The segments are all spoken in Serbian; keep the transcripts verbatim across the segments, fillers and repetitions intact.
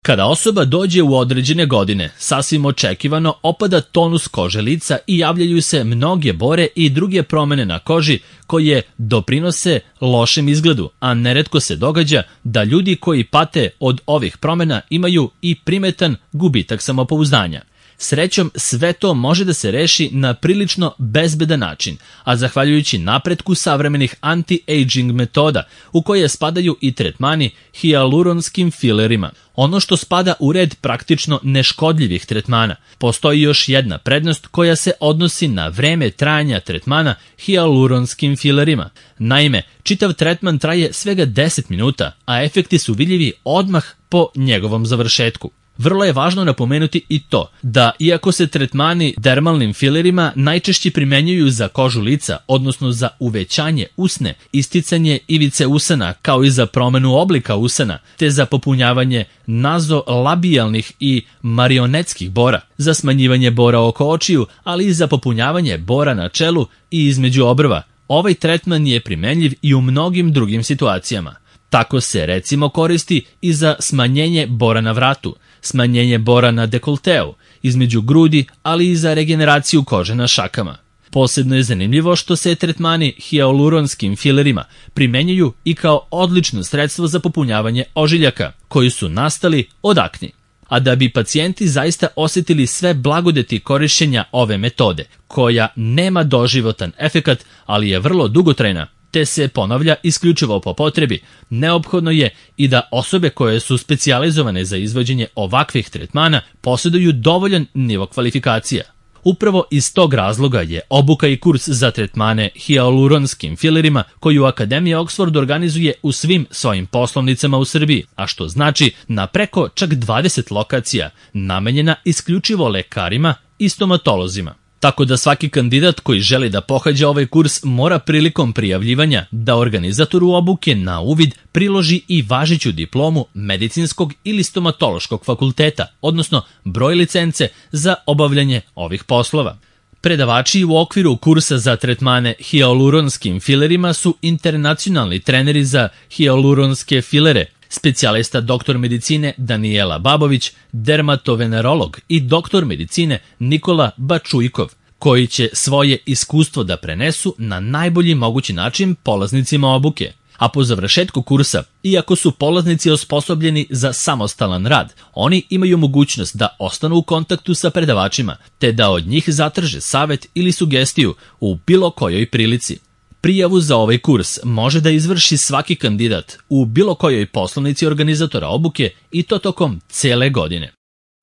Kada osoba dođe u određene godine, sasvim očekivano opada tonus kože lica i javljaju se mnoge bore i druge promene na koži koje doprinose lošem izgledu, a neretko se događa da ljudi koji pate od ovih promena imaju i primetan gubitak samopouzdanja. Srećom, sve to može da se reši na prilično bezbedan način, a zahvaljujući napretku savremenih anti-aging metoda, u koje spadaju i tretmani hijaluronskim filerima. Ono što spada u red praktično neškodljivih tretmana, postoji još jedna prednost koja se odnosi na vreme trajanja tretmana hijaluronskim filerima. Naime, čitav tretman traje svega deset minuta, a efekti su vidljivi odmah po njegovom završetku. Vrlo je važno napomenuti i to da, iako se tretmani dermalnim filerima najčešće primenjuju za kožu lica, odnosno za uvećanje usne, isticanje ivice usana, kao i za promenu oblika usana, te za popunjavanje nazolabijalnih i marionetskih bora, za smanjivanje bora oko očiju, ali i za popunjavanje bora na čelu i između obrva, ovaj tretman je primenljiv i u mnogim drugim situacijama. Tako se recimo koristi i za smanjenje bora na vratu, smanjenje bora na dekolteu, između grudi, ali i za regeneraciju kože na šakama. Posebno je zanimljivo što se tretmani hijaluronskim filerima primenjuju i kao odlično sredstvo za popunjavanje ožiljaka, koji su nastali od akni. A da bi pacijenti zaista osjetili sve blagodeti korišćenja ove metode, koja nema doživotan efekat, ali je vrlo dugotrajna, te se ponavlja isključivo po potrebi, neophodno je i da osobe koje su specijalizovane za izvođenje ovakvih tretmana posjeduju dovoljan nivo kvalifikacija. Upravo iz tog razloga je obuka i kurs za tretmane hijaluronskim filerima koju Akademija Oxford organizuje u svim svojim poslovnicama u Srbiji, a što znači na preko čak dvadeset lokacija, namenjena isključivo lekarima i stomatolozima. Tako da svaki kandidat koji želi da pohađa ovaj kurs mora prilikom prijavljivanja da organizatoru obuke na uvid priloži i važeću diplomu medicinskog ili stomatološkog fakulteta, odnosno broj licence za obavljanje ovih poslova. Predavači u okviru kursa za tretmane hijaluronskim filerima su internacionalni treneri za hijaluronske filere, specijalista doktor medicine Danijela Babović, dermatovenerolog i doktor medicine Nikola Bačujkov, koji će svoje iskustvo da prenesu na najbolji mogući način polaznicima obuke. A po završetku kursa, iako su polaznici osposobljeni za samostalan rad, oni imaju mogućnost da ostanu u kontaktu sa predavačima, te da od njih zatraže savet ili sugestiju u bilo kojoj prilici. Prijavu za ovaj kurs može da izvrši svaki kandidat u bilo kojoj poslovnici organizatora obuke i to tokom cele godine.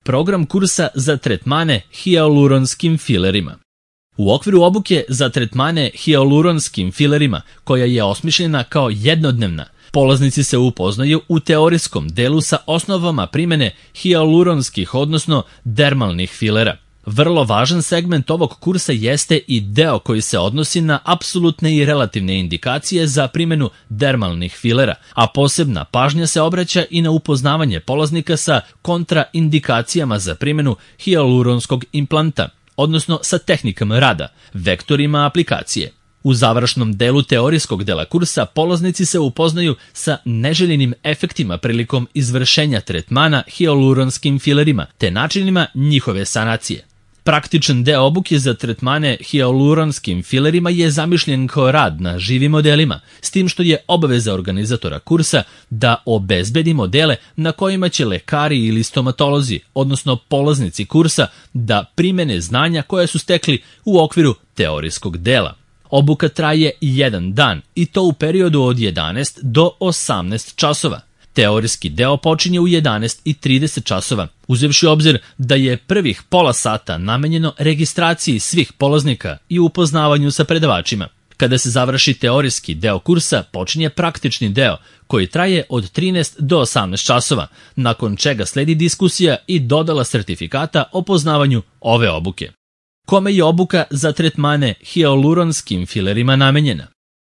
Program kursa za tretmane hijaluronskim filerima. U okviru obuke za tretmane hijaluronskim filerima, koja je osmišljena kao jednodnevna, polaznici se upoznaju u teorijskom delu sa osnovama primene hijaluronskih, odnosno dermalnih filera. Vrlo važan segment ovog kursa jeste i deo koji se odnosi na apsolutne i relativne indikacije za primjenu dermalnih filera, a posebna pažnja se obraća i na upoznavanje polaznika sa kontraindikacijama za primjenu hijaluronskog implanta, odnosno sa tehnikama rada, vektorima aplikacije. U završnom delu teorijskog dela kursa polaznici se upoznaju sa neželjenim efektima prilikom izvršenja tretmana hijaluronskim filerima te načinima njihove sanacije. Praktičan deo obuke za tretmane hijaluronskim filerima je zamišljen kao rad na živim modelima, s tim što je obaveza organizatora kursa da obezbedi modele na kojima će lekari ili stomatolozi, odnosno polaznici kursa, da primene znanja koje su stekli u okviru teorijskog dela. Obuka traje jedan dan i to u periodu od jedanaest do osamnaest časova. Teorijski deo počinje u jedanaest i trideset časova, uzevši obzir da je prvih pola sata namenjeno registraciji svih polaznika i upoznavanju sa predavačima. Kada se završi teorijski deo kursa, počinje praktični deo, koji traje od trinaest do osamnaest časova, nakon čega sledi diskusija i dodala sertifikata o poznavanju ove obuke. Kome je obuka za tretmane hijaluronskim filerima namenjena?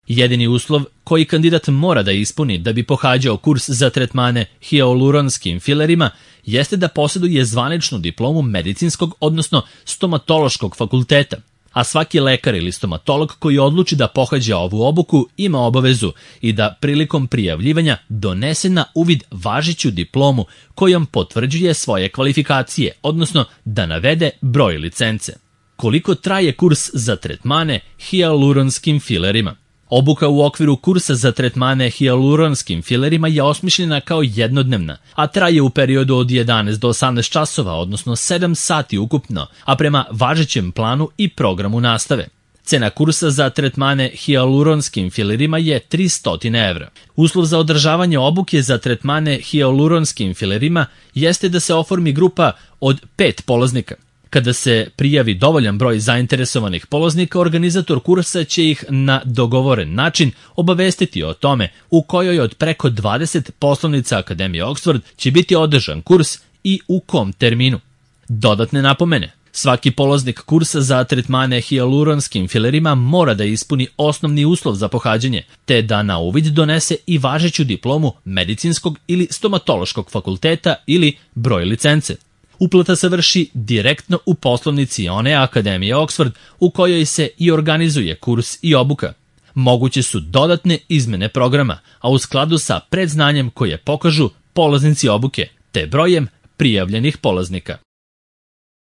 Jedini uslov koji kandidat mora da ispuni da bi pohađao kurs za tretmane hijaluronskim filerima jeste da posjeduje zvaničnu diplomu medicinskog, odnosno stomatološkog fakulteta, a svaki lekar ili stomatolog koji odluči da pohađa ovu obuku ima obavezu i da prilikom prijavljivanja donese na uvid važeću diplomu kojom potvrđuje svoje kvalifikacije, odnosno da navede broj licence. Koliko traje kurs za tretmane hijaluronskim filerima? Obuka u okviru kursa za tretmane hijaluronskim filerima je osmišljena kao jednodnevna, a traje u periodu od jedanaest do osamnaest časova, odnosno sedam sati ukupno, a prema važećem planu i programu nastave. Cena kursa za tretmane hijaluronskim filerima je tristo evra. Uslov za održavanje obuke za tretmane hijaluronskim filerima jeste da se oformi grupa od pet polaznika. Kada se prijavi dovoljan broj zainteresovanih polaznika, organizator kursa će ih na dogovoren način obavestiti o tome u kojoj od preko dvadeset poslovnica Akademije Oxford će biti održan kurs i u kom terminu. Dodatne napomene. Svaki polaznik kursa za tretmane hijaluronskim filerima mora da ispuni osnovni uslov za pohađanje, te da na uvid donese i važeću diplomu medicinskog ili stomatološkog fakulteta ili broj licence. Uplata se vrši direktno u poslovnici one Akademije Oxford u kojoj se i organizuje kurs i obuka. Moguće su dodatne izmene programa, a u skladu sa predznanjem koje pokažu polaznici obuke, te brojem prijavljenih polaznika.